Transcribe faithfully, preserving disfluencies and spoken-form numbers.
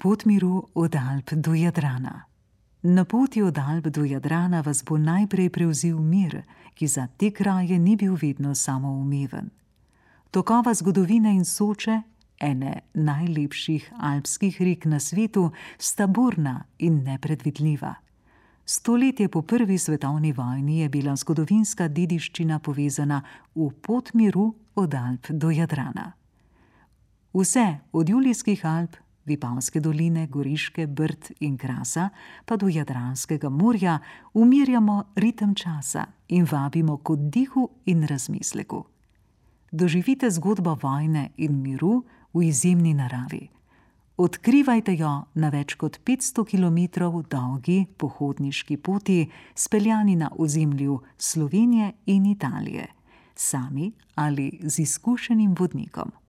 Pot miru od Alp do Jadrana. Na poti od Alp do Jadrana vas bo najprej prevzel mir, ki za te kraje ni bil vedno samoumeven. Tokova zgodovine in Soče, ene najlepših alpskih rek na svetu, sta burna in nepredvidljiva. Stoletje po prvi svetovni vojni je bila zgodovinska dediščina povezana v pot miru od Alp do Jadrana. Vse od Julijskih Alp, Vipavske doline, Goriške, Brd in Krasa pa do Jadranskega morja umirjamo ritem časa in vabimo k oddihu in razmisleku. Doživite zgodbo vojne in miru v izjemni naravi. Odkrivajte jo na več kot petsto kilometrov dolgi pohodniški poti, speljani na ozemlju Slovenije in Italije, sami ali z izkušenim vodnikom.